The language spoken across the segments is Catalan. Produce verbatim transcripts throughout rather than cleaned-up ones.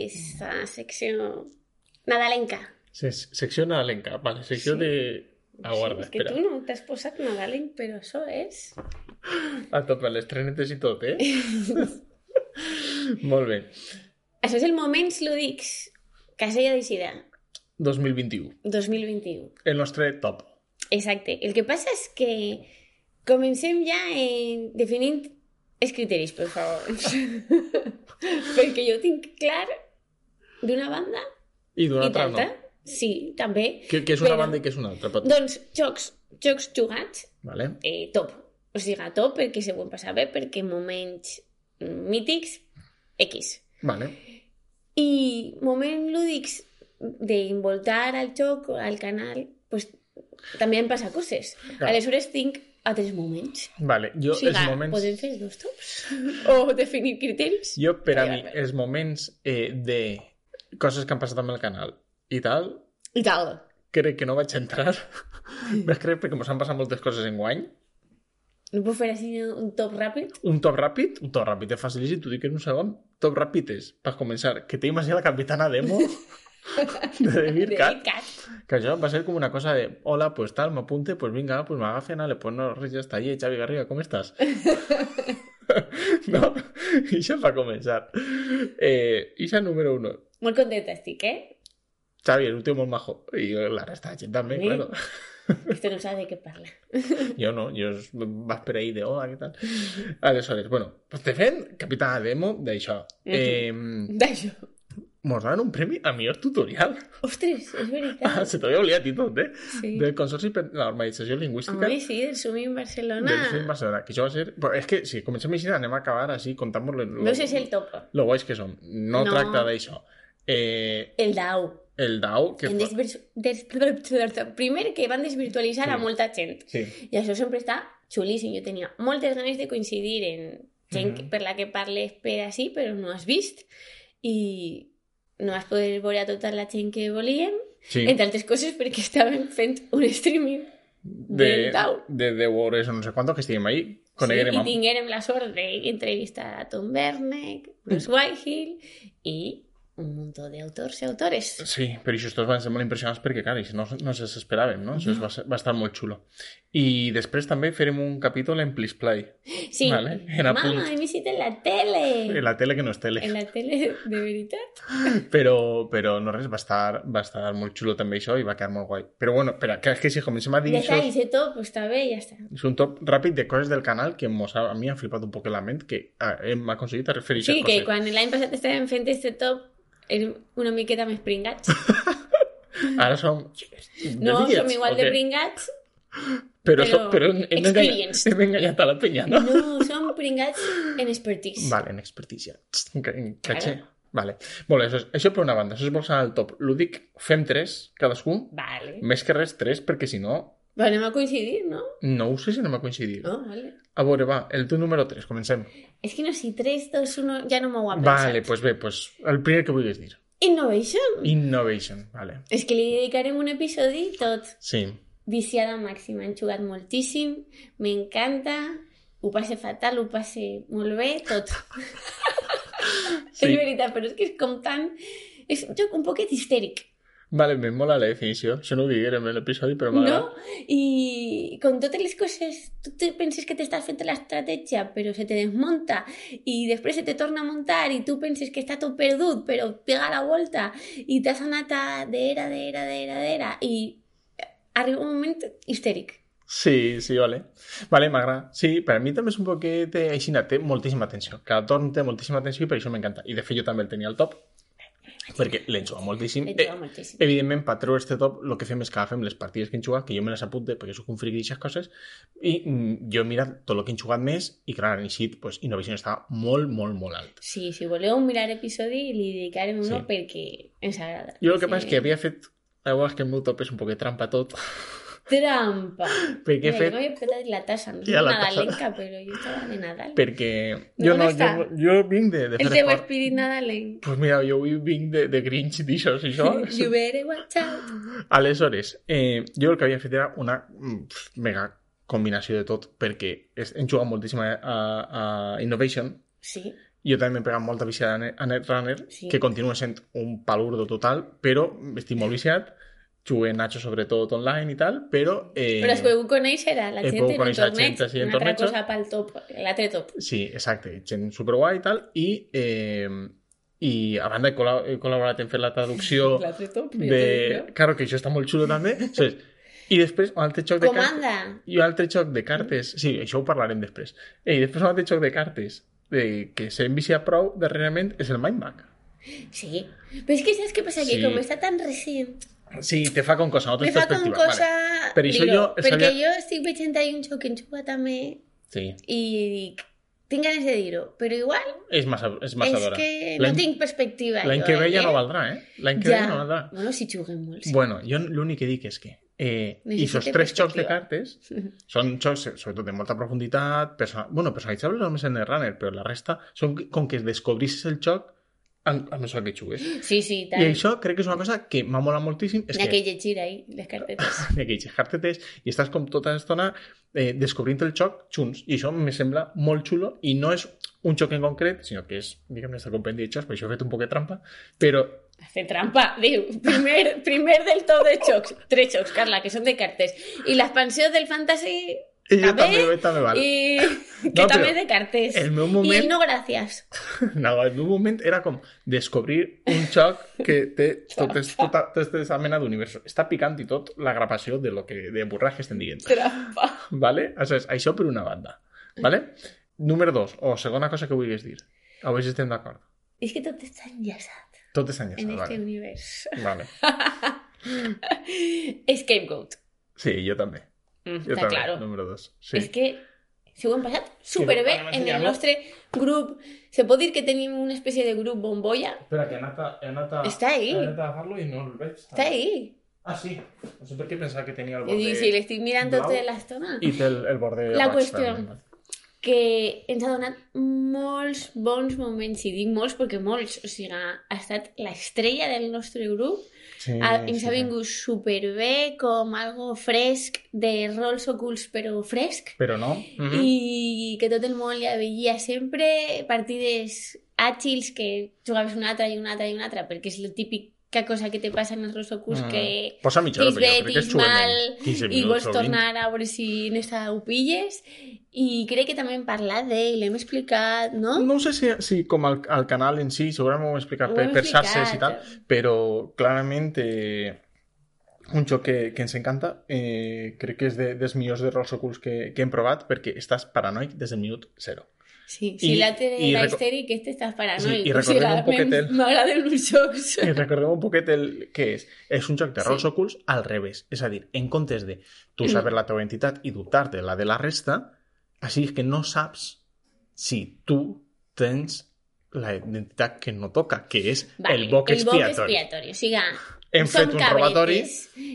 esa secció nadalenca. Se- secció nadalenca, vale, secció Sí. de... Aguarda, Sí, és que espera. tu no t'has posat nadalenc, però això és... A tope, les trenetes i tot, eh? Molt bé. Això és el Moments Lúdics Casella d'Eixida dos mil vint-i-u. dos mil vint-i-u. El nostre top. Exacte. El que passa és que comencem ja en definint els criteris, per favor. Perquè jo tinc clar d'una banda I d'una i altra tanta. no. Sí, també. Què, què és una Però- banda i què és una altra? Pot... Doncs jocs, jocs jugats, Vale. eh, top. O sigui, top perquè se ho passar bé, perquè moments mítics, X. Vale. I moments lúdics d'involtar al joc, al canal, pues, també han passat coses. Clar. Aleshores tinc altres moments. Vale. Jo, O sigui, els moments... podem fer dos tops? O definir criteris? Jo, per a mi, Vinga, els moments eh, de coses que han passat amb el canal i tal, I tal. crec que no vaig entrar. Vaig crec perquè mos han passat moltes coses en guany. No puc fer així un top ràpid? Un top ràpid, un top ràpid és facilíssim, t'ho dic en un segon. Top ràpid és, per començar, que te imagina la capitana Demo de Demir Cat, Cat. que això va ser com una cosa de hola, pues tal, m'apunte, pues vinga, pues m'agafen, ale, pues no, res, ja està allí, Xavi Garriga, com estàs? No? I això va començar. Eh, Ixa número uno. Molt contenta estic, eh? Xavi és un tio molt majo. I la resta de gent també, Sí. claro. Este no sabe de què parla. Jo no, jo vas per ahí de hola, què tal? Aleshores, bueno, pues te fent capitana Demo d'això. Eh, D'això. mos donen un premi a millor tutorial. Ostres, és veritat. Ah, se t'havia oblidat i tot, eh? Sí. Del Consorci per la Normalització Lingüística Home, sí, del Sumim Barcelona. del Film Barcelona. Que això va ser... Però és que si comencem així anem a acabar així contant-vos lo, lo, No sé si és el top. lo guais que som. No, No. tracta d'això. Eh, El D A U. el D A U, que... En fa- desvirtu... des... Primer que van desvirtualitzar Sí. a molta gent. Sí. I això sempre està xulíssim. Jo tenia moltes ganes de coincidir en gent Mhm. per la que parles per així, però no has vist. I no vas poder veure a tota la gent que volíem. Sí. Entre altres coses perquè estaven fent un streaming de, del D A U. de deu hores o no sé quanto que estiguem ahí. Sí, Coneguerem i amb... tinguérem la sort d'entrevistar a Tom Werneck, Bruce Whitehill i un muntó d'autors i autores. Sí, però això tots van ser molt impressionants perquè, clar, això no, no se s'esperaven, no? Això va, ser, va estar molt xulo. I després també farem un capítol en Please Play. Sí, Vale, en apunt. mama, he vist en la tele. En la tele que no és tele. En la tele, de veritat. Però, però no res, va estar, va estar molt xulo també això i va quedar molt guai. Però bueno, espera, que és que si comencem a dir Ja això... està, i sé tot, pues està bé, ja està. És un top ràpid de coses del canal que mos ha, a mi ha flipat un poc en la ment, que ah, hem aconseguit referir Sí, a que coses. quan l'any passat estàvem fent este top érem una miqueta més pringats. Ara som... No, de som diets, igual o de què? pringats. Però, però som, però hem, hem, enganyat, experienced. hem enganyat a la penya, no? No, som pringats en expertise. Vale, en expertícia. En ca- en caché. Claro. Vale. Molt bé, això, és, això per una banda. Això és bolsar al top. Lúdic, fem tres, cadascú. Vale. Més que res, tres, perquè si no, Però anem a coincidir, no? no ho sé si anem a coincidir. No, vale. A veure, va, el tu número tres, comencem. És que no, si tres, dos, uno, ja no m'ho ha pensat. Vale, pues bé, pues el primer que vulguis dir. Innovation. Innovation, vale. És que li dedicarem un episodi tot. Sí. Viciada màxima, han jugat moltíssim, m'encanta, ho passe fatal, ho passe molt bé, tot. Sí. És veritat, però és que és com tan... És un joc un poquet histèric, Vale, me mola la definició. Això no ho diguérem en l'episodi, però m'agrada. no? I con totes les coses, tu te penses que t'estàs fent l'estratègia, però se te desmunta, i després se te torna a muntar, i tu penses que està tot perdut, però pega la volta, i t'has anat a d'era, d'era, d'era, d'era, i arriba un moment histèric. Sí, sí, vale. Vale, m'agrada. Sí, per a mi també és un poquet eh, així, té moltíssima atenció. Cada torn té moltíssima atenció i per això m'encanta. I de fet jo també el tenia al top, perquè l'he jugat moltíssim. L'he jugat moltíssim. Eh, evidentment, per treure este top, el que fem és que agafem les partides que hem jugat, que jo me les apunte perquè soc un friqui d'aixes coses, i mm, jo he mirat tot el que hem jugat més, i clar, en així, pues, Innovation estava molt, molt, molt alt. Sí, si voleu mirar episodi, li dedicarem uno Sí. perquè ens agrada. Jo el que passa és que havia fet... A vegades que el meu top és un poquet trampa tot, Trampa! perquè he Mira, fet... jo m'havia petat la tassa, no Ja, soc la tassa. nadalenca, però jo estava de Nadal. Perquè No, jo on no, està? jo, jo vinc de, de El fer teu esport. espírit nadalenc. Pues mira, jo avui vinc de, de Grinch d'aixòs i això. You better watch out. Aleshores, eh, jo el que havia fet era una mm, pf, mega combinació de tot, perquè és, hem jugat moltíssim a, a, a Innovation Sí. jo també m'he pegat molta viciada a Net- a Netrunner, Sí. que continua sent un palurdo total, però estic molt viciat, jugué Nacho sobretot online i tal, però... Eh, Però es podeu conèixer a la he gent pogut en un conèixer torneig, gent així en una altra tornejos. cosa pel top, l'altre top. Sí, exacte, gent superguai i tal, i, eh, i a banda he, col·la- he col·laborat en fer la traducció L'altre top, jo de... t'ho dic, Claro, que això està molt xulo també. Saps? I després un altre xoc de cartes... Comanda. I un altre xoc de cartes... Sí, això ho parlarem després. I després un altre xoc de cartes de, que s'ha enviciat prou darrerament és el Mindback. Sí. Però és que saps què passa? Que Sí. com està tan recent, Sí, te fa con cosa, no me fa com perspectiva. cosa... Vale. Per això dir-ho, jo perquè sabia- jo estic veient ahí un joc que en juga també Sí, i dic, tinc ganes de dir-ho, però igual és massa, és massa és d'hora. que no L'any tinc perspectiva. l'any jo, que ve ja eh? no valdrà, eh? L'any que Ja. ve no valdrà. Bueno, si juguem molt. Sí. Bueno, jo l'únic que dic és que eh, i Necessite aquests tres xocs de perspectiva. cartes són xocs, sobretot de molta profunditat, perso bueno, personalitzables només en el runner, però la resta són com que descobrissis el xoc en- a mesura que jugues. Sí, sí, I tant. això crec que és una cosa que m'ha molat moltíssim. És N'hi ha que que llegir ahí, les cartetes. n'hi ha que llegir cartetes i estàs com tota l'estona eh, descobrint el xoc junts. I això me sembla molt xulo i no és un xoc en concret, sinó que és, diguem-ne, el compendi de xocs, per això he fet un poc de trampa, però Hace trampa, diu, primer, primer del top de xocs, tres xocs, Carla, que són de cartes. I l'expansió del fantasy ella també, també, també val. i que No, també però és de cartes. el meu I moment- el no gràcies. No, en un moment era com descobrir un xoc que té tot és, tota, tota aquesta mena d'univers. Està picant i tot la gravació de lo que de burras que estem dient. Trampa. Vale? Això, és, això per una banda. Vale? Número dos, o segona cosa que vulguis dir. A veure si estem d'acord. És que tot està enllaçat Tot és enllaçat, en este vale. univers. Vale. Scapegoat. Sí, jo també. Mm, Jo està també, claro. número dos. Sí. És que s'ho hem passat superbé anem a en el ensenyar-lo. nostre grup. Se pot dir que tenim una espècie de grup bombolla. Espera, que he anat a, he anat a, Està ahí. he anat a agafar-lo i no el veig. Està ahí. Ah, sí. No sé per què pensava que tenia el Jo borde dic, si l'estic mirant blau tota l'estona. i té el, el borde La roig, qüestió. també. Que ens ha donat molts bons moments, i dic molts perquè molts, o sigui, ha estat l'estrella del nostre grup, Sí, ha, ens sí, ha sí. vingut superbé, com algo fresc, de rols ocults però fresc, Però no. Mhm. i que tot el món li veia sempre partides àgils que jugaves una altra i una altra i una altra, perquè és la típica cosa que te passa en els rols ocults, Mm. que Posa mitja hora, tens però jo bé, crec que tens és xuent mal, en quinze i minuts vols o vint. tornar a veure si en esta ho pilles, i crec que també hem parlat d'ell, l'hem explicat, no? No sé si, si com al, al canal en si, segurament ho hem explicat Ho per, hem per xarxes i explicat. tal, però clarament eh, un joc que, que ens encanta, eh, crec que és de, dels millors de rols ocults que, que hem provat, perquè estàs paranoic des del minut zero. Sí, I- si l'altre i era reco- histèric, este estàs paranoic. Sí, i O sigui, recordem un poquet m'em- el- M'agraden els jocs. I recordem un poquet el que és. És un joc de rols Sí. ocults al revés. És a dir, en comptes de tu Mm. saber la teva identitat i dubtar-te la de la resta, així que no saps si tu tens la identitat que no toca, que és Vale, el boc el boc expiatori. expiatori. O sigui, Hem som fet un cabretes, robatori.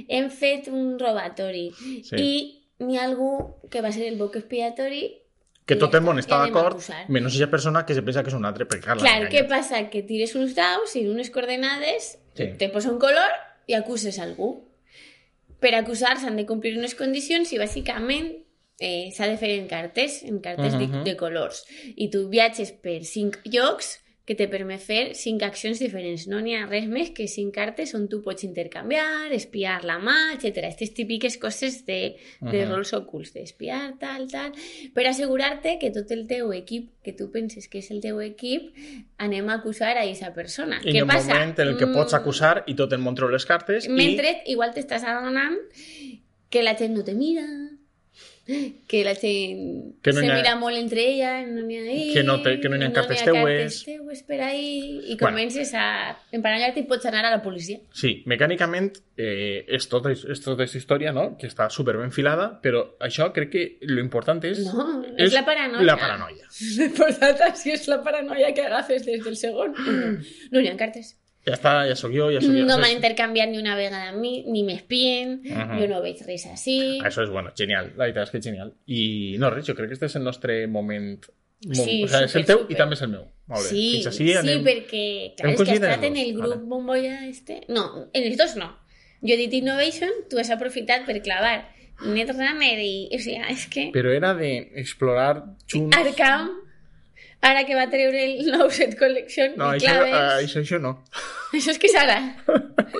Hem fet un robatori. Sí. I n'hi ha algú que va ser el boc expiatori. Que i tot ja el món està, està ja anem a d'acord, acusar. menys aquella persona que se pensa que és un altre, perquè clar, Clar, l'han què enganyat. passa? Que tires uns daus i unes coordenades, Sí. te posa un color i acuses algú. Per acusar s'han de complir unes condicions i bàsicament eh, s'ha de fer en cartes, en cartes Mhm. de, de colors. I tu viatges per cinc llocs que te permet fer cinc accions diferents. No n'hi ha res més que cinc cartes on tu pots intercanviar, espiar la mà, etcètera. Aquestes típiques coses de, de Mhm. rols ocults, d'espiar, tal, tal, per assegurar-te que tot el teu equip, que tu penses que és el teu equip, anem a acusar a aquesta persona. I Què hi ha un passa? moment en el que pots Mm, acusar i tot el món treu les cartes Mentre igual t'estàs adonant que la gent no te mira, que la gent Que no se n'hi ha- mira molt entre ella, no n'hi ha ahí, Que no te- que no n'hi ha cartes cartes teues. teues per ahí, i Bueno. comences a emparellar-te i pots anar a la policia. i... Sí, mecànicament eh, és, tota, és tota aquesta història, no?, que està super ben filada, però això crec que lo important és... No, és la paranoia. La paranoia. L'important si és la paranoia que agafes des del segon. No, no n'hi ha cartes. Ja està, ja sóc jo, ja sóc jo. No Això m'han és- intercanviat ni una vegada amb mi, ni m'espien, Mhm. jo no veig res així. Això és bueno, genial, la veritat és que és genial. I no, res, jo crec que este és el nostre moment... mo- Sí, o sigui, és el súper, teu súper. i també és el meu. Molt bé. Sí, Fins així sí, anem... perquè clar, hem és que has coincidit en estat en els el dos, grup vale. bombolla este... No, en els dos no. Jo he dit Innovation, tu has aprofitat per clavar Netrunner i... O sigui, és que... Però era d'explorar junts... Arkham... Ara que va treure el nou set collection No, i això, claves... uh, això, això no. Això és que Sara.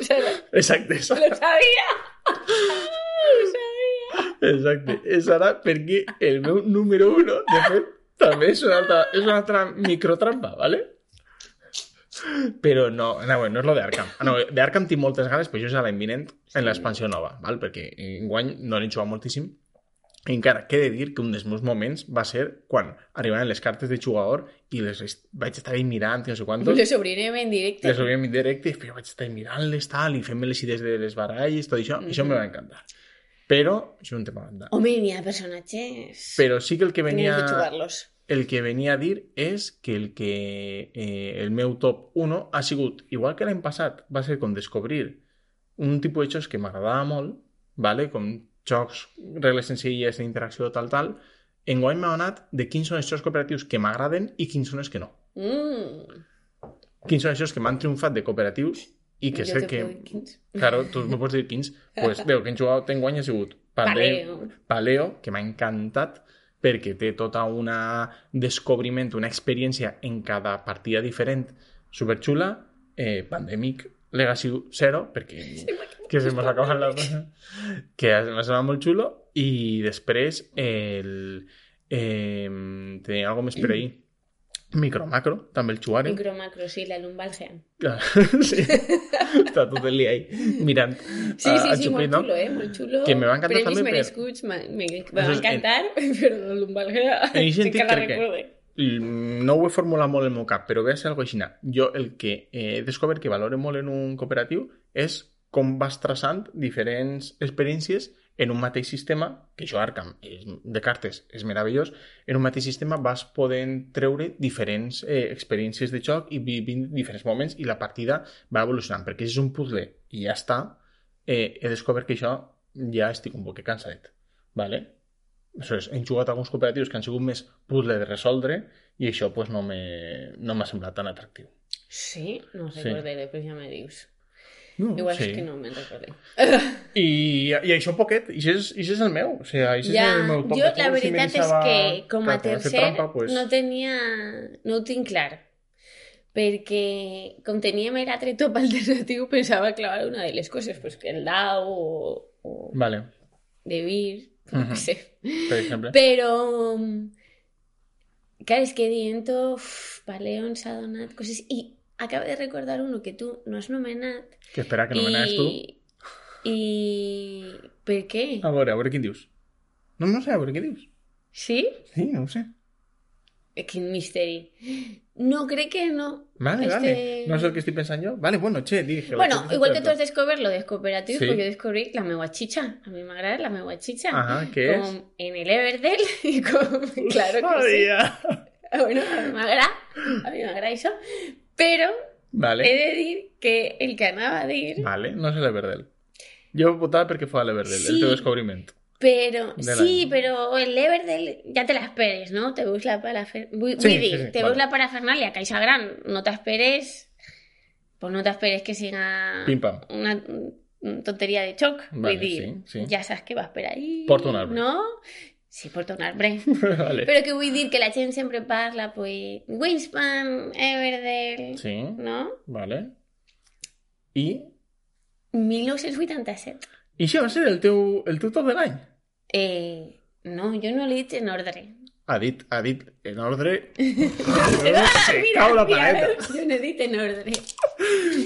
Sara. Exacte, això. Lo sabia. Lo sabia. Exacte. És ara perquè el meu número uno, de fet, també és una altra, és una altra microtrampa, ¿vale? Però no, no, no és lo d'Arkham. Ah, no, d'Arkham tinc moltes ganes, però això és a l'any vinent en l'expansió nova, ¿val? Perquè enguany no l'he jugat moltíssim. I encara que he de dir que un dels meus moments va ser quan arribaven les cartes de jugador i les est... vaig estar ahí mirant i no sé quantos. Les obrirem en directe. Les obrirem en directe i després vaig estar mirant-les tal i fent-me les idees de les baralles, tot això. Mm -hmm. Això me va encantar. Però, això és un tema banda. Home, n'hi ha personatges... Però sí que el que venia... Tenies de jugar-los. El que venia a dir és que el que eh, el meu top uno ha sigut, igual que l'any passat, va ser com descobrir un tipus de jocs que m'agradava molt, ¿vale? Com jocs, regles senzilles d'interacció, tal, tal. Enguany m'ha anat de quins són els jocs cooperatius que m'agraden i quins són els que no. Mm. Quins són els jocs que m'han triomfat de cooperatius i que Jo sé te que... puedo dir quins. Claro, tu me pots dir quins. Pues, veu, que hem jugat enguany ha sigut Paleo. Paleo, que m'ha encantat perquè té tota una descobriment, una experiència en cada partida diferent superxula. Eh, Pandemic Legacy Zero, perquè sí, que se m'ha acabat la cosa, que m'ha semblat molt xulo, i després el, eh, tenia alguna més per ahir. Micro Macro, també el jugarem. Micro Macro, sí, la lumbalgia. Sí, està tot el dia ahí mirant. Sí, sí, sí, molt xulo, eh? Molt xulo. Que me va encantar Premis també per... merescuts, me, me, me va encantar, en... però la lumbalgia sí que la recorde. No ho he formulat molt en el meu cap, però ve a ser alguna cosa així. Jo el que he descobert que valoro molt en un cooperatiu és com vas traçant diferents experiències en un mateix sistema, que això Arkham de cartes és meravellós, en un mateix sistema vas podent treure diferents eh, experiències de joc i vivint diferents moments i la partida va evolucionant, perquè si és un puzzle i ja està, eh, he descobert que això ja estic un poc cansadet, ¿vale? Aleshores, hem jugat alguns cooperatius que han sigut més puzzle de resoldre i això pues, no m'ha no semblat tan atractiu. Sí? No recordaré, sí. Però ja me dius. No, Igual sí. és que no me'n recordé. I, I això poquet, i això és, i això és el meu. O sigui, això ja, és el meu top. Jo la veritat si és que com a tercer trampa, pues... no tenia... No ho tinc clar. Perquè com teníem l'altre top alternatiu pensava clavar una de les coses, pues que el dau o... o vale. de vir, no uh-huh. sé. Per exemple. Però... Clar, és que Diento, Paleo ens ha donat coses... I acabo de recordar uno que tu no has nomenat. Que espera, que nomenaves tu. I... Per què? A veure, a veure quin dius. No, no sé, a veure què dius. Sí? Sí, no ho sé. Quin misteri. No, crec que no. Vale, este... vale. No és el que estic pensant jo. Vale, bueno, che, dije. Bueno, igual que tu has descobert lo de cooperatius, sí. pues yo descobrí la meua chicha. A mí me agrada la meua chicha. Ajá, ¿qué es? Com en el Everdell y con... Claro que Sabía. sí. Bueno, a mí me agrada. A mí me agrada eso. Pero vale. he de dir que el que anava a dir... Vale, no és l'Everdell. Jo votava perquè fos l'Everdell, sí, el teu descobriment. Pero, sí, pero el Everdell ya te la esperes, ¿no? Te veus la parafernalia... Vull sí, dir, sí, sí, te vale. veus la parafernalia, Caixa Gran, no t'esperes... Pues no t'esperes que siga Pim, pam. una tonteria de xoc. Vale, Vull dir, sí, sí. ja saps què vas per ahí, porta un arbre. no? Sí, porta un arbre. Vale. Però que vull dir que la gent sempre parla, pues, Wingspan, Everdell, sí. no? Vale. I? mil nou-cents vuitanta-set. I això va ser el teu, el teu top de l'any? Eh, no, jo no l'he dit en ordre. Ha dit, ha dit en ordre... Ah, se mira, cau la mira, paleta. jo no he dit en ordre.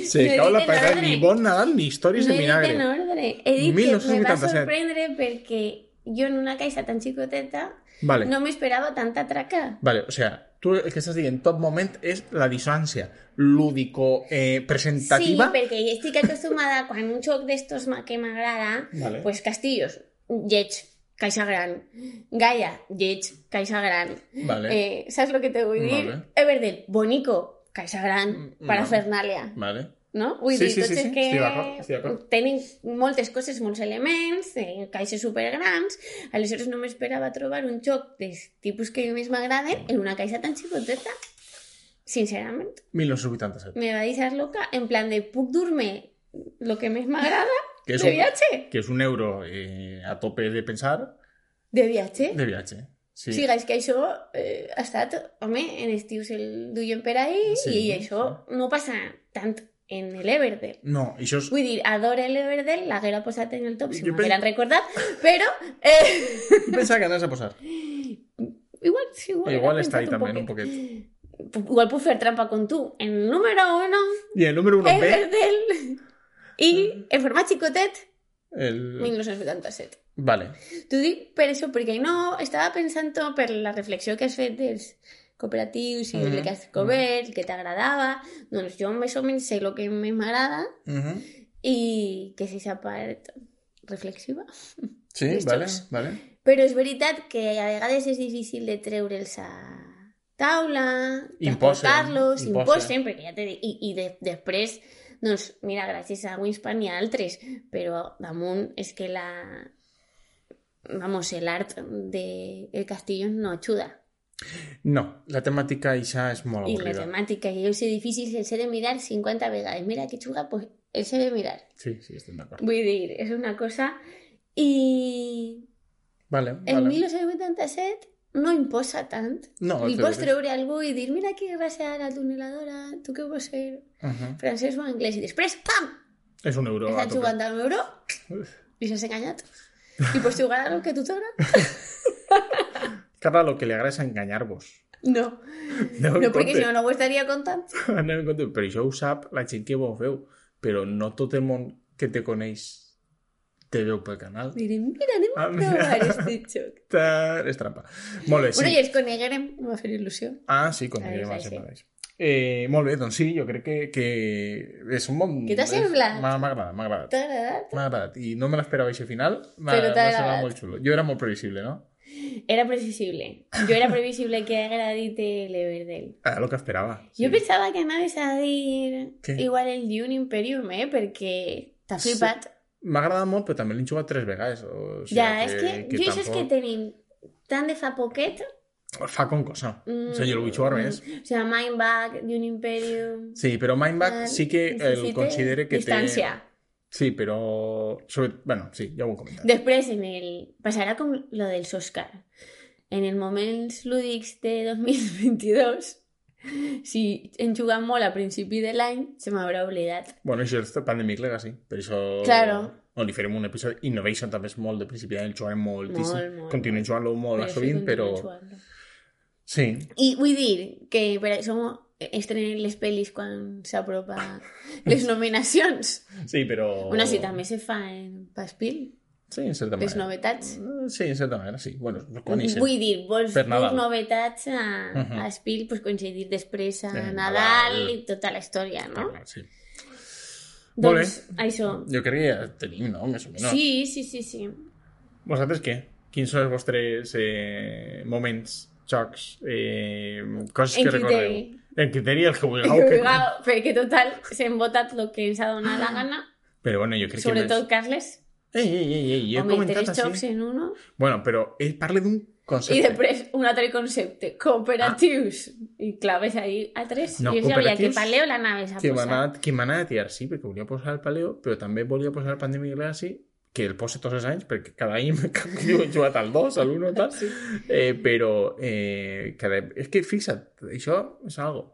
Se no cau la dit en paleta. ordre. Ni bon Nadal ni històries no de vinagre. No he dit en ordre. He dit mil que nou-cents me va vuitanta-set. sorprendre perquè jo en una caixa tan xicoteta vale. no m'esperava tanta traca. Vale, o sea, tu el que estàs dient top moment és la dissonància lúdico eh, presentativa. Sí, perquè estic acostumada quan un joc d'estos que m'agrada, vale. pues Castillos, lleig, Caixa Gran, Gaia, lleig, Caixa Gran. Vale. Eh, saps el que te vull dir? Vale. Everdell, bonico, Caixa Gran, parafernalia. Vale. No? Vull sí, dir, sí, tots sí, els sí. que Estic d'acord, estic d'acord. tenen moltes coses, molts elements, eh, caixes supergrans, aleshores no m'esperava trobar un joc dels tipus que més m'agraden en una caixa tan xicoteta. Sincerament. mil nou-cents vuitanta-set. Me va deixar loca, en plan de puc dur-me lo que més m'agrada de un, viatge. Que és un euro eh, a tope de pensar. De viatge. De viatge. Sí. O sigui, és que això eh, ha estat, home, en estius el duien per ahí Sí, i això sí. no passa tant en l'Everdell. No, això és... Vull dir, adore l'Everdell, l'haguera posat en el top si Jo m'hagueran pen- recordat, però... Eh... Jo pensava que anaves a posar. Igual, sí, igual. Igual he està ahí pensat també, un un poquet. Igual puc fer trampa con tu. En el número uno, I el número uno B, Everdell, i en format xicotet, el... dinou vuitanta-set. Vale. T'ho dic per això, perquè no estava pensant per la reflexió que has fet dels cooperatius i Mhm. el que has cobert, el que t'agradava. Doncs jo més o menys sé el que més m'agrada Uh -huh. i que és aquesta part reflexiva. Sí, Dels vale, jocs. vale. Però és veritat que a vegades és difícil de treure'ls a taula, Imposen, transportar-los, imposen. imposen, perquè ja t'he dit, i, i de, després, doncs, mira, gràcies a Winspan hi ha altres, però damunt és que la... Vamos, el art de El Castillo no ajuda. No, la temàtica ixa és molt I la avorrida. temàtica, i els edificis els he de mirar cinquanta vegades. Mira que xuga, pues els he de mirar. Sí, sí, estem d'acord. Vull dir, és una cosa... I Vale, el vale. dinou vuitanta-set no imposa tant. No, Li és pots veritat. treure a algú i dir, mira que gràcia la tuneladora, tu què vols ser? Uh -huh. Francès o anglès. I després, pam! És un euro a Estàs tope. jugant al euro i s'has enganyat. I pots jugar a lo que tu t'agrada. Carla, lo que li agrada és enganyar-vos. No, Aneu no en perquè compte. si no, no ho estaria contant. Aneu en compte. Però això ho sap la gent que ho veu. Però no tot el món que te coneix te veu pel canal. Diré, mira, anem a Ah, mira. provar este joc. Ta- És trampa. Molt bé, sí. Bueno, i els coneguerem, em va fer il·lusió. Ah, sí, quan Ahí, arribem a ahí, ser sí. mateix. Eh, molt bé, doncs sí, jo crec que, que és un bon... Què t'ha és- semblat? M'ha m'ha agradat, m'ha agradat. T'ha agradat? M'ha agradat. I no me l'esperava aquest final. M'ha Però t'ha m'ha semblat agradat. molt xulo. Jo era molt previsible, no? Era previsible. Jo era previsible que haguera dit l'Everdell. Era el que esperava. Jo pensava que anaves a dir Què? igual el Dune Imperium, eh? Perquè t'ha Sí. flipat. M'ha agradat molt, però també l'he jugat tres vegades. O sigui, Ja, és que, jo això és que tampoc- tenim tant de fa poquet. Fa com cosa. Mm, O sigui, jo el vull jugar més. O sigui, Mindback, Dune Imperium... Sí, però Mindback eh, sí que el necessite considere que distància. té... Sí, però... Sobre... Bueno, sí, ja ho he comentat. Després, en el... passarà com lo dels Oscar. En els moments lúdics de dos mil vint-i-dos, si hem jugat molt a principi de l'any, se m'haurà oblidat. Bueno, això és Pandemic Legacy. Per això... Claro. On li farem un episodi. Innovation també és molt de principi d'any, el jugarem moltíssim. Molt, molt, Continuem jugant-lo molt a Però sovint, sí, però... continuem jugant-lo. Sí, I vull dir que per això estrenen les pel·lis quan s'apropa les nominacions. sí, però... Bueno, sí, també se fa en Paspil, Sí, en certa les manera. novetats. Sí, en certa manera, sí. Bueno, quan ixen. Vull dir, vols Per dur Nadal. novetats a, Mhm. a Espil, pues coincidir després a Eh, Nadal Nadal. i tota la història, no? Clar, sí. Molt bé. Doncs això. Jo crec que ja tenim, no? Més o menys. Sí, sí, sí, sí. Vosaltres què? Quins són els vostres eh, moments, jocs, eh, coses En que recordeu? criteri. En criteri, el que vulgueu. Que... Igual, perquè total, s'hem votat el que ens ha donat la gana, Però bueno, jo crec sobretot que... Carles. Ei, ei, ei, ei, jo he Home, comentat tres jocs així. en uno. Bueno, però ell parla d'un concepte. I després un altre concepte, cooperatius. I claves ahí a tres. No, jo sabia que cooperatius paleo l'anaves a Que m'ha posar. anat, que m'ha anat a tirar, sí, perquè volia posar el paleo, però també volia posar el Pandemic Legacy, que el posa tots els anys, perquè cada any jo he jugat al dos, al un, tal, Sí. eh, però eh, cada... és que fixa't, això és algo.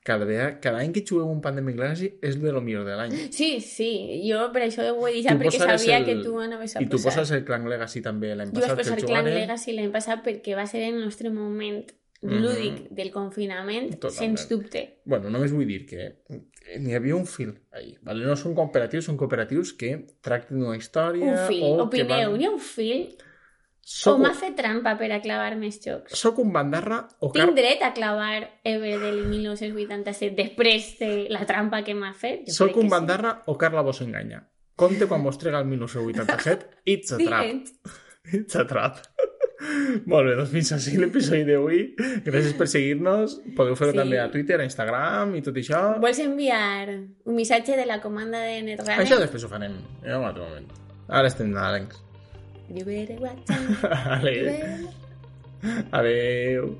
Cada, vegada, cada any que juguem un Pandemic Legacy és de lo millor de l'any. Sí, sí, jo per això ho he dit ja, Tu perquè posares sabia el- que tu anaves a I tu posar. poses el Clan Legacy també l'any Jo vaig passat, posar que el Clan jugarem. Legacy l'any passat perquè va ser el nostre moment Mhm. lúdic del confinament, Totalment. sens dubte. Bueno, només vull dir que n'hi havia un fil ahí. Vale? No són cooperatius, són cooperatius que tracten d'una història... Un fil, o que opineu, van- n'hi ha un fil o Soc, m'ha fet trampa per a clavar més jocs? soc un bandarra o car... Tinc dret a clavar Everdell dinou vuitanta-set després de la trampa que m'ha fet? Jo Soc crec un que sí. bandarra o Carla vos enganya. Compte quan vos trega el dinou vuitanta-set, it's a trap. Dient. It's a trap. Molt bé, doncs fins així l'episodi d'avui. Gràcies per seguir-nos. Podeu fer-ho Sí. també a Twitter, a Instagram i tot això. Vols enviar un missatge de la comanda de Netrunner? Això després ho farem en un altre moment. Ara estem nadalencs. You better watch out. You Adéu. better- Adéu.